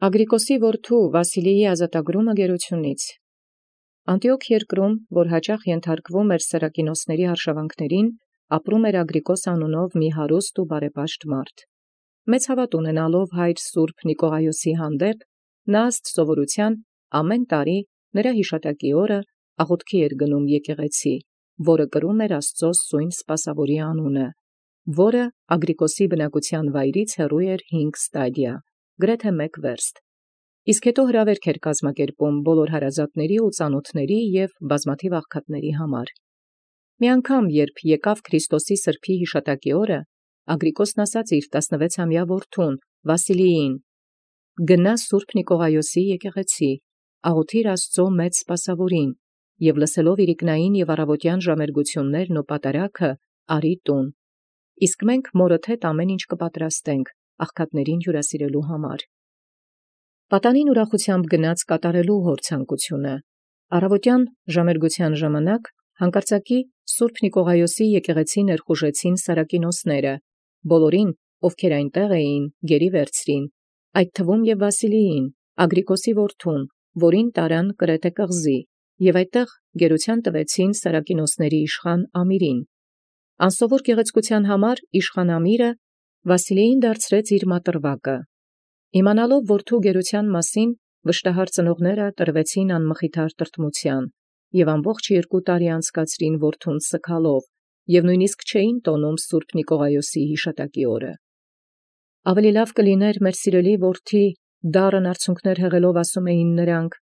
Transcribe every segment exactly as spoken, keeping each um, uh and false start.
Ագրիկոսի որդու Վասիլիի ազատագրումը գերությունից։ Անտիոք երկրում, որ հաճախ ենթարկվում էր Սերակինոսների արշավանքներին, ապրում էր Ագրիկոս անունով մի հարուստ ու բարեպաշտ մարդ։ Մեծ հաւատ ունենալով հայր սուրբ Նիկողայոսի հանդեպ, նա ըստ սովորութեան ամեն տարի նրա յիշատակի օրը աղոթքի էր գնում եկեղեցի, որը կրում էր Աստծո սույն Սպասաւորի անունը, որը Ագրիկոսի բնակութեան վայրից հեռու էր հինգ ստադիա, գրեթէ մեկ վերստ։ Իսկ հետո հրավերք էր կազմակերպում բոլոր հարազատների ու ծանոթների և բազմաթիվ աղքատների համար։ Մի անգամ, երբ եկավ Քրիստոսի սրբոյ յիշատակի օրը, Ագրիկոսն ասաց իր տասնվեցամյա որդուն Վասիլիին. «Գնա սուրբ Նիկողայոսի եկեղեցի, աղոթիր Աստծո մեծ Սպասաւորին, և լսելով իրիկնային և առավոտյան ժամերգութիւններն ու պատարագը, արի տուն. իսկ մենք մորդ հետ ամեն ինչ կպատրաստենք աղքատներին հիւրասիրելոյ համար»։ Պատանին ուրախութեամբ գնաց կատարելու հոր ցանկութիւնը։ Առավոտյան ժամերգութեան ժամանակ հանկարծակի սուրբ Նիկողայոսի եկեղեցի ներխուժեցին Սարակինոսները, բոլորին, ովքեր այնտեղ էին, գերի վերցրին, այդ թվում և Վասիլիին, Ագրիկոսի որդուն, որին տարան Կրեթե կղզի, և այդտեղ գերութեան տվեցին Սարակինոսների իշխան Ամիրին։ Անսովոր գեղեցկութեան համար իշխան Ամիրը Վասիլիին դարձրեց իր մատրուակը։ Իմանալով որդու գերութեան մասին, վշտահար ծնողները տրվեցին անմխիթար տրտմութեան, և ամբողջ երկու տարի անցկացրին որդուն սգալով, և նոյնիսկ չէին տոնում սուրբ Նիկողայոսի յիշատակի օրը։ Ավելի լաւ կլիներ, մեր սիրելի որդի, դառն արցունքներ հեղելով ասում էին նրանք,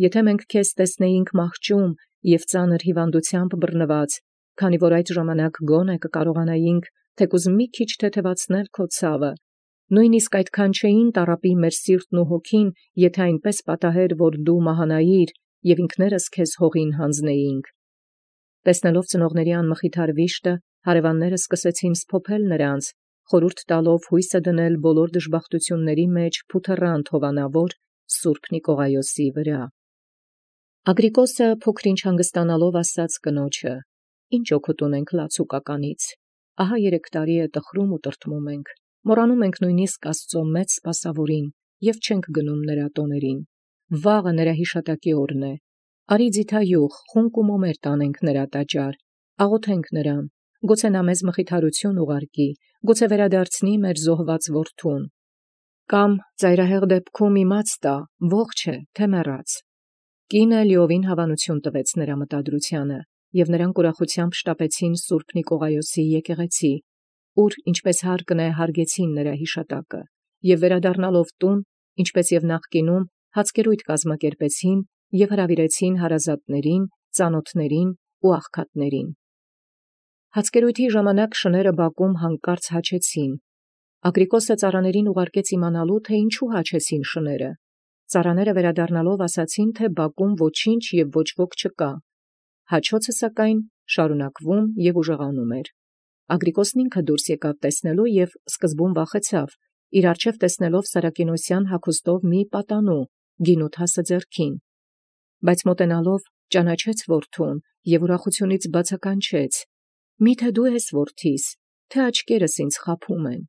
եթէ մենք քեզ տեսնեինք մահճում և ծանր հիւանդութեամբ բռնուած, քանի որ այդ ժամանակ գոնե կկարողանայինք թեկուզ մի քիչ թեթևացնել քո ցավը, նոյնիսկ այդքան չէին տառապի մեր սիրտն ու հոգին, եթէ այնպէս պատահեր, որ դու մահանայիր, և ինքներս քեզ հողին յանձնեինք։ Տեսնելով ծնողների անմխիթար վիշտը, հարևանները սկսեցին սփոփել նրանց, խորհուրդ տալով հույսը դնել բոլոր դժբախտութիւնների մեջ փութռանտ հովանավոր սուրբ Նիկողայոսի վրա։ Ագրիկոսը փոքր ինչ հանգստանալով ասաց կնոջը. «Ինչ օգուտ ունենք լացուկականից. ահա երեք տարի է տխրում ու տրտմում ենք, մոռանում ենք նոյնիսկ Աստծո մեծ Սպասաւորին և չենք գնում նրա տոներին. վաղը նրա յիշատակի օրն է. արի ձիթայուղ, խունկ ու մոմեր տանենք նրա տաճար, աղոթենք նրան, գուցե նա մեզ մխիթարութիւն ուղարկի, գուցե վերադարձնի մեր զոհված որդուն, կամ ծայրահեղ դեպքում իմաց տա, ողջ է, թե մեռած»։ Կինը լիովին հավանութիւն տվեց նրա մտադրութեանը, և նրանք ուրախութեամբ շտապեցին սուրբ Նիկողայոսի եկեղեցի, ուր ինչպէս հարկն է հարգեցին նրա յիշատակը, և վերադառնալով տուն, ինչպէս և նախկինում, հացկերոյթ կազմակերպեցին և հրավիրեցին հարազատներին, ծանոթներին ու աղքատներին։ Հացկերոյթի ժամանակ շները բակում հանկարծ հաչեցին։ Ագրիկոսը ծառաներին ուղարկեց իմանալու, թէ ինչու հաչեցին շները։ Ծառաները վերադառնալով ասացին, թէ բակում ոչինչ և ոչ ոք չկա։ Հաչոցը սակայն շարունակվում և ուժեղանում էր։ Ագրիկոսն ինքը դուրս եկավ տեսնելու և սկզբում վախեցավ, իր առջև տեսնելով Սարակինոսյան հագուստով մի պատանու, գինութասը ձեռքին։ Բայց մոտենալով ճանաչեց որդուն և ուրախութիւնից բացականչեց. «Մի՛թե դու ես որդիս, թէ աչքերս ինձ խաբում են»։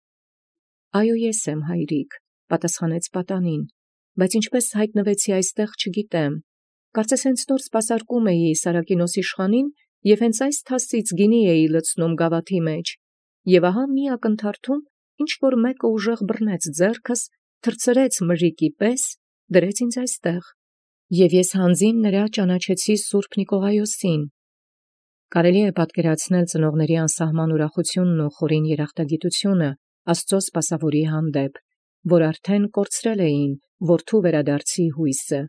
«Այո, ես եմ, հայրիկ», պատասխանեց պատանին, «բայց ինչպէս յայտնվեցի այստեղ, չգիտեմ. կարծես հենց նոր սպասարկում էի Սարակինոս իշխանին և հենց այս թասից գինի էի լցնում գաւաթի մեջ, և ահա մի ակնթարթում ինչ֊որ մեկը ուժեղ բռնեց ձեռքս, թռցրեց մրրիկի պես, դրեց ինձ այստեղ, և ես յանձին նրա ճանաչեցի սուրբ Նիկողայոսին»։ Կարելի է պատկերացնել ծնողների անսահման ուրախութիւնն ու խորին երախտագիտութիւնը Աստծո Սպասաւորի հանդեպ, որ արդեն կորցրել էին որդու վերադարձի հույսը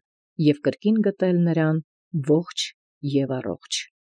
և կրկին գտել նրան ողջ և առողջ։